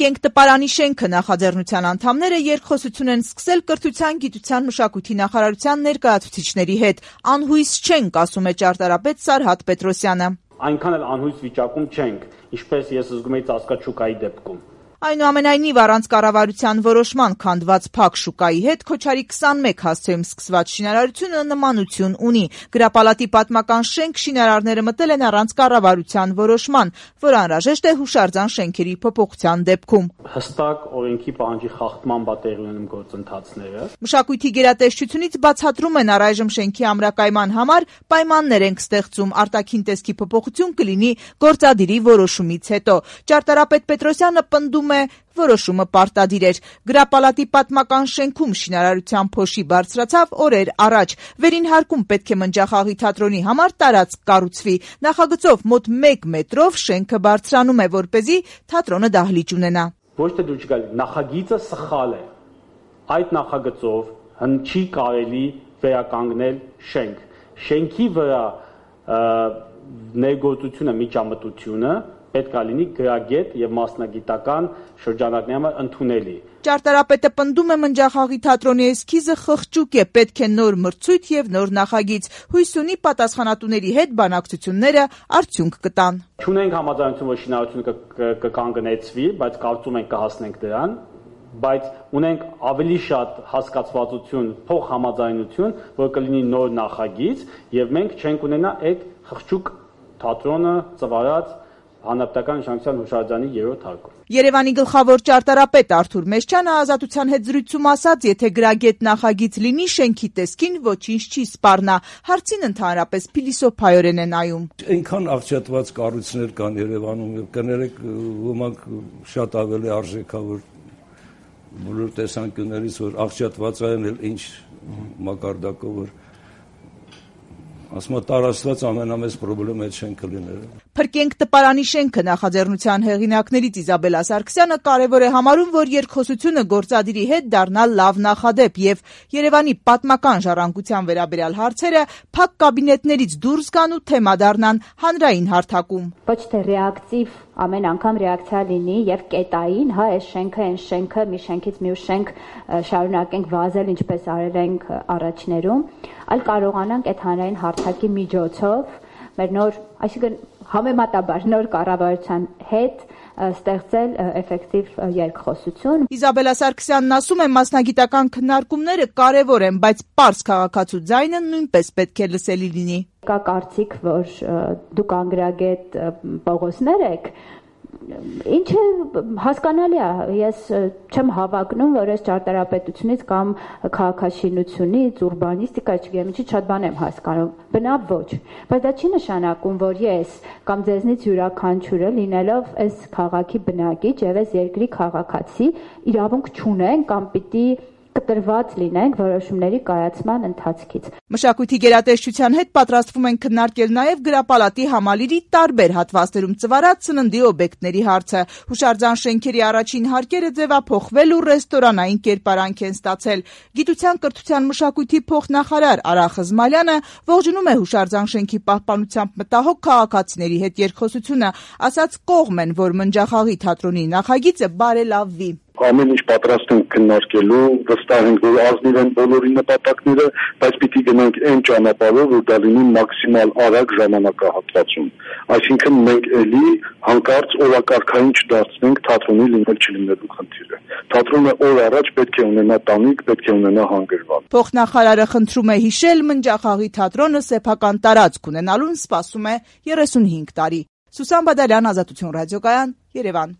Փրկենք տպարանի շենքը նախաձեռնության անդամները երկխոսություն են սկսել կրթության, գիտության, մշակույթի նախարարության ներկայացուցիչների հետ։ Անհույս չենք, ասում է ճարտարապետ Սարհատ Պետրոսյանը։ Այնքան էլ անհույս վիճակում չենք, ինչպես ես զգում եի ծածկաշուկայի դեպքում։ Այնուամենայնիվ, առանց կառավարության որոշման քանդված փակ շուկայի հետ Քոչարի 21 հասցեում սկսված շինարարությունը նմանություն ունի։ Գրապալատի պատմական շենք շինարարները մտել են առանց կառավարության որոշման, որ անհրաժեշտ է հուշարձան շենքերի փոփոխության դեպքում։ Հստակ օրենքի պահանջի խախտման պատերի ունեն գործընթացները։ Մշակույթի գերատեսչությունից բացատրում են առայժմ շենքի ամրակայման համար պայմաններ ենք ստեղծում, արտաքին տեսքի փոփոխություն կլինի գործադիրի որոշումից հետո։ Ճարտարապետ Պետրոսյանը պնդում է, որոշումը պարտադիր էր։ Գրապալատի պատմական շենքում շինարարության փոշի բարձրացավ օրեր առաջ։ Վերին հարկում պետք է Մնջախաղի թատրոնի համար տարածք կառուցվի։ Նախագծով մոտ 1 մետրով շենքը բարձրանում է, որպեսզի թատրոնը դահլիճ ունենա։ Ոչ թե դու չգալ, նախագիծը սխալ է։ Այդ նախագծով չի կարելի վերականգնել շենք։ Շենքի վրա ներգործությունը, միջամտությունը պետք է լինի գրագետ եւ մասնագիտական շրջանակների համար ընդունելի։ Ճարտարապետը պնդում է Մնջախաղի թատրոնի էսքիզը խղճուկ է, պետք է նոր մրցույթ եւ նոր նախագիծ։ Հույս ունի պատասխանատուների հետ բանակցությունները արդյունք կտան։ Չունենք համաձայնություն, որ շինարարությունը կկանգնեցվի, բայց կարծում ենք կհասնենք դրան, բայց ունենք ավելի շատ հասկացվածություն, փոխհամաձայնություն, որ կլինի նոր նախագիծ եւ մենք չենք ունենա այդ խղճուկ թատրոնը ծվարած հանրապետական նշանակության հուշարձանի 3-րդ հարկում։ Երևանի գլխավոր ճարտարապետ Արթուր Մեշչյանը Ազատության հետ զրույցում ասաց, եթե գրագետ նախագիծ լինի, շենքի տեսքին ոչինչ չի սպառնա։ Հարցին ընդհանրապես փիլիսոփայորեն է նայում։ Այնքան աղճատված կառույցներ կան Երևանում, եւ կներեք, ոմանք շատ ավելի արժեքավոր բոլոր տեսանկյուններից, որ աղճատված են, ինչ մակարդակով, որ ասում եմ տարածված ամենամեծ խնդրեմ այդ շենքը լինելը։ Փրկենք տպարանի շենքը նախաձեռնության հեղինակներից Իզաբելլա Սարգսյանը կարևոր է համարում, որ երկխոսությունը գործադիրի հետ դառնա լավ նախադեպ եւ Երևանի պատմական ժառանգության վերաբերյալ հարցերը փակ կաբինետներից դուրս գան ու թեմա դառնան հանրային հարթակում։ Ոչ թե ռեակտիվ ամեն անգամ ռեակցիա լինի եւ կետային, հա, այս շենքը, այն շենքը, մի շենքից մյուս շենք շարունակենք վազել, ինչպես արել ենք առաջներում, այլ կարողանանք այդ հանրային հարթակի միջոցով մեր նոր, այսինքն համեմատաբար նոր կառավարության հետ ստեղծել էֆեկտիվ երկխոսություն։ Իզաբելլա Սարգսյանն ասում է, մասնագիտական քննարկումները կարևոր են, բայց պարզ քաղաքացու ձայնը նույնպես պետք է լսելի լինի։ Կա կարծիք, որ դուք անգրագետ Պողոսներ եք, ինչը հասկանալի է, ես չեմ հավակնում, որ այս ճարտարապետությունից կամ քաղաքաշինությունից, ուրբանիստիկա, չգիտեմ ինչի շատ բան եմ հասկանում, բնավ ոչ, բայց դա չի նշանակում, որ ես կամ ձեզնից յուրաքանչյուրը լինելով այս քաղաքի բնակիչ եւ այս երկրի քաղաքացի իրավունք չունեն կամ պիտի կտրված լինենք որոշումների կայացման ընթացքից։ Մշակույթի գերատեսչության հետ պատրաստվում են քննարկել նաև գրապալատի համալիրի տարբեր հատվածներում ծվարած սննդի օբյեկտների հարցը։ Հուշարձան շենքերի առաջին հարկերը ձևափոխվել ու ռեստորանային կերպարանք են ստացել։ Գիտության, կրթության, մշակույթի փոխնախարար Արա Խզմալյանը ողջունում է հուշարձան շենքի պահպանությամբ մտահոգ քաղաքացիների հետ երկխոսությունը, ասաց կողմ են, որ Մնջախաղի թատրոնի նախագիծը բարելավվի։ Ամեն ինչ պատրաստ ենք քննարկելու, վստահ ենք, որ ազնիվ են բոլորի նպատակները, բայց պիտի գնանք այն ճանապարհով, որ դա լինի մաքսիմալ արագ ժամանակահատվածում։ Այսինքն մենք էլի հանկարծ օրակարգային չդարձնենք թատրոնի լինել-չլինելու խնդիրը։ Թատրոնը օր առաջ պետք է ունենա տանիք, պետք է ունենա հանգրվան։ Փոխնախարարը խնդրում է հիշել Մնջախաղի թատրոնը սեփական տարածք ունենալուն սպասում է 35 տարի։ Սուսան Բադալյան, Ազատություն ռադիոկայան, Երևան։